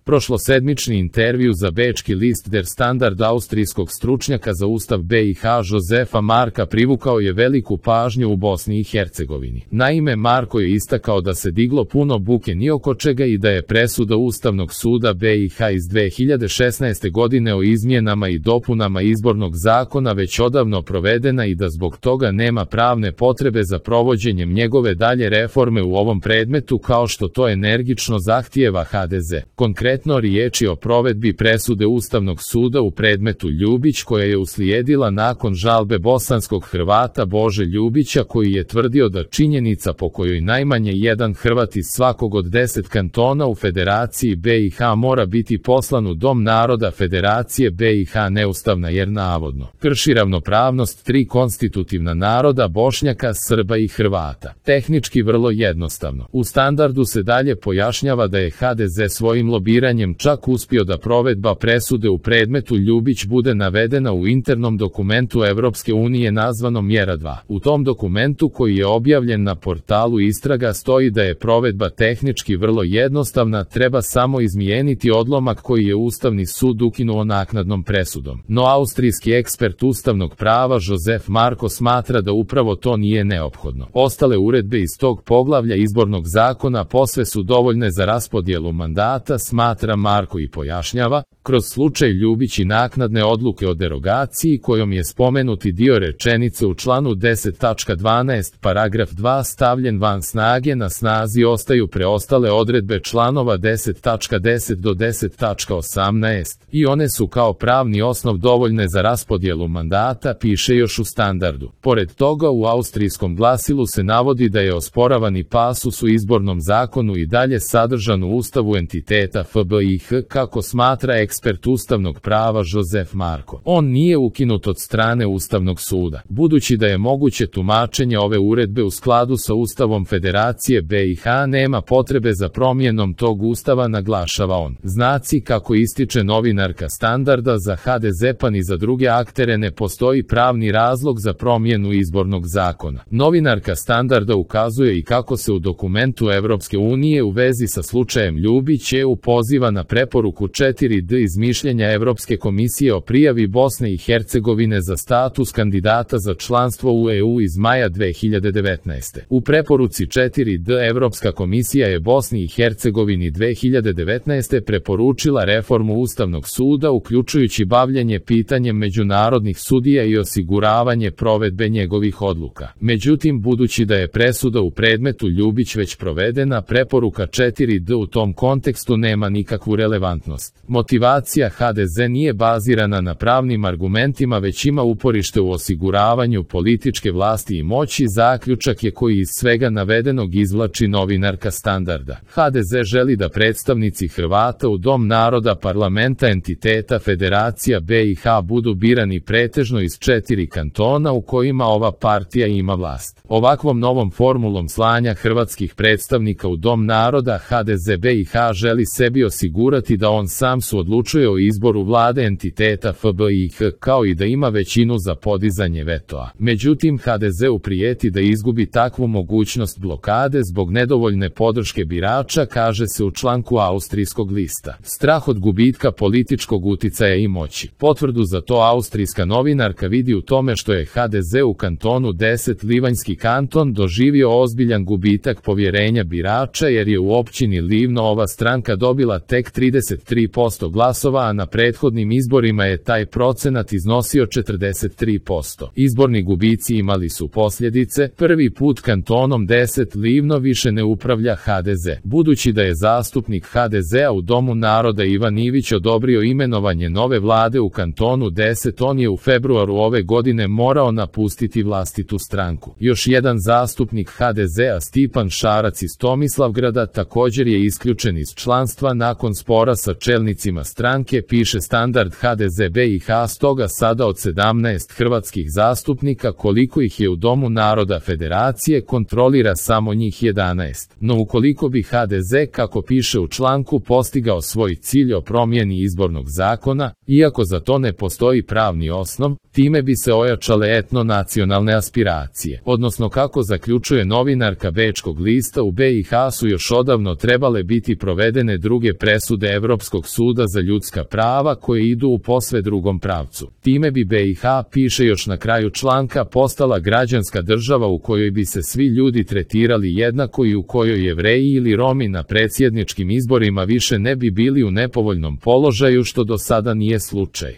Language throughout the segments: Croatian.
Prošlosedmični intervju za bečki list Der Standard austrijskog stručnjaka za ustav BiH Josefa Marka privukao je veliku pažnju u Bosni i Hercegovini. Naime, Marko je istakao da se diglo puno buke ni oko čega i da je presuda Ustavnog suda BiH iz 2016. godine o izmjenama i dopunama izbornog zakona već odavno provedena i da zbog toga nema pravne potrebe za provođenjem njegove dalje reforme u ovom predmetu kao što to energično zahtijeva HDZ. Konkretno riječi o provedbi presude Ustavnog suda u predmetu Ljubić koja je uslijedila nakon žalbe bosanskog Hrvata Bože Ljubića koji je tvrdio da činjenica po kojoj najmanje jedan Hrvat iz svakog od 10 kantona u Federaciji BiH mora biti poslan u Dom naroda Federacije BiH neustavna jer navodno krši ravnopravnost 3 konstitutivna naroda Bošnjaka, Srba i Hrvata. Tehnički vrlo jednostavno. U Standardu se dalje pojašnjava da je HDZ svojim lobiranjem čak uspio da provedba presude u predmetu Ljubić bude navedena u internom dokumentu Evropske unije nazvanom Mjera 2. U tom dokumentu koji je objavljen na portalu Istraga stoji da je provedba tehnički vrlo jednostavna, treba samo izmijeniti odlomak koji je Ustavni sud ukinuo naknadnom presudom. No austrijski ekspert ustavnog prava Josef Marko smatra da upravo to nije neophodno. Ostale uredbe iz tog poglavlja izbornog zakona posve su dovoljne za raspodjelu mandata, smatra Marko i pojašnjava, kroz slučaj Ljubić i naknadne odluke o derogaciji kojom je spomenuti dio rečenice u članu 10.12 paragraf 2 stavljen van snage, na snazi ostaju preostale odredbe članova 10.10 do 10.18 i one su kao pravni osnov dovoljne za raspodjelu mandata, piše još u Standardu. Pored toga u austrijskom glasilu se navodi da je osporavani pasus u izbornom zakonu i dalje sadržan u ustavu entiteta FBiH kako smatra ekspert ustavnog prava Josef Marko. On nije ukinut od strane Ustavnog suda. Budući da je moguće tumačenje ove uredbe u skladu sa Ustavom Federacije BiH, nema potrebe za promjenom tog ustava, naglašava on. Znaci kako ističe novinarka Standarda, za HDZ pa ni za druge aktere ne postoji pravni razlog za promjenu izbornog zakona. Novinarka Standarda ukazuje i kako se u dokumentu Evropske unije u vezi sa slučajem Ljubić EU poziva na preporuku 4D iz mišljenja Evropske komisije o prijavi Bosne i Hercegovine za status kandidata za članstvo u EU iz maja 2019. U preporuci 4D Evropska komisija je Bosni i Hercegovini 2019. preporučila reformu Ustavnog suda uključujući bavljenje pitanjem međunarodnih sudija i osiguravanje provedbe njegovih odluka. Međutim, budući da je presuda u predmetu Ljubić već provedena, preporuka 4D u tom kontekstu nema nikakvu relevantnost. Motivacija HDZ nije bazirana na pravnim argumentima već ima uporište u osiguravanju političke vlasti i moći, zaključak je koji iz svega navedenog izvlači novinarka Standarda. HDZ želi da predstavnici Hrvata u Dom naroda parlamenta entiteta Federacija BiH budu birani pretežno iz 4 kantona u kojima ova partija ima vlast. Ovakvom novom formulom slanja hrvatskih predstavnika u Dom naroda HDZ BiH želi sebi osigurati da on sam suodlučuje o izboru vlade entiteta FBiH kao i da ima većinu za podizanje vetoa. Međutim, HDZ-u prijeti da izgubi takvu mogućnost blokade zbog nedovoljne podrške birača, kaže se u članku austrijskog lista. Strah od gubitka političkog uticaja i moći. Potvrdu za to austrijska novinarka vidi u tome što je HDZ u kantonu 10 Livanjski kanton doživio ozbiljan gubitak povjerenja birača jer je u općini Livno ova stranka dobila tek 33% glasova, a na prethodnim izborima je taj procenat iznosio 43%. Izborni gubici imali su posljedice. Prvi put kantonom 10 Livno više ne upravlja HDZ. Budući da je zastupnik HDZ-a u Domu naroda Ivan Ivić odobrio imenovanje nove vlade u kantonu 10, on je u februaru ove godine morao napustiti vlastitu stranku. Još jedan zastupnik HDZ-a Stipan Šarac iz Tomislavgrada također je isključen iz članstva nakon spora sa čelnicima stranke, piše Standard. HDZ BiH stoga sada od 17 hrvatskih zastupnika koliko ih je u Domu naroda Federacije kontrolira samo njih 11. No ukoliko bi HDZ, kako piše u članku, postigao svoj cilj o promjeni izbornog zakona, iako za to ne postoji pravni osnov, time bi se ojačale etno-nacionalne aspiracije. Odnosno, kako zaključuje novinarka bečkog lista, u BiH su još odavno trebale biti provedene druge mnoge presude Evropskog suda za ljudska prava koje idu u posve drugom pravcu. Time bi BiH, piše još na kraju članka, postala građanska država u kojoj bi se svi ljudi tretirali jednako i u kojoj Jevreji ili Romi na predsjedničkim izborima više ne bi bili u nepovoljnom položaju, što do sada nije slučaj.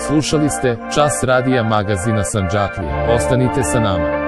Slušali ste Čas radija magazina Sandžaklija. Ostanite sa nama.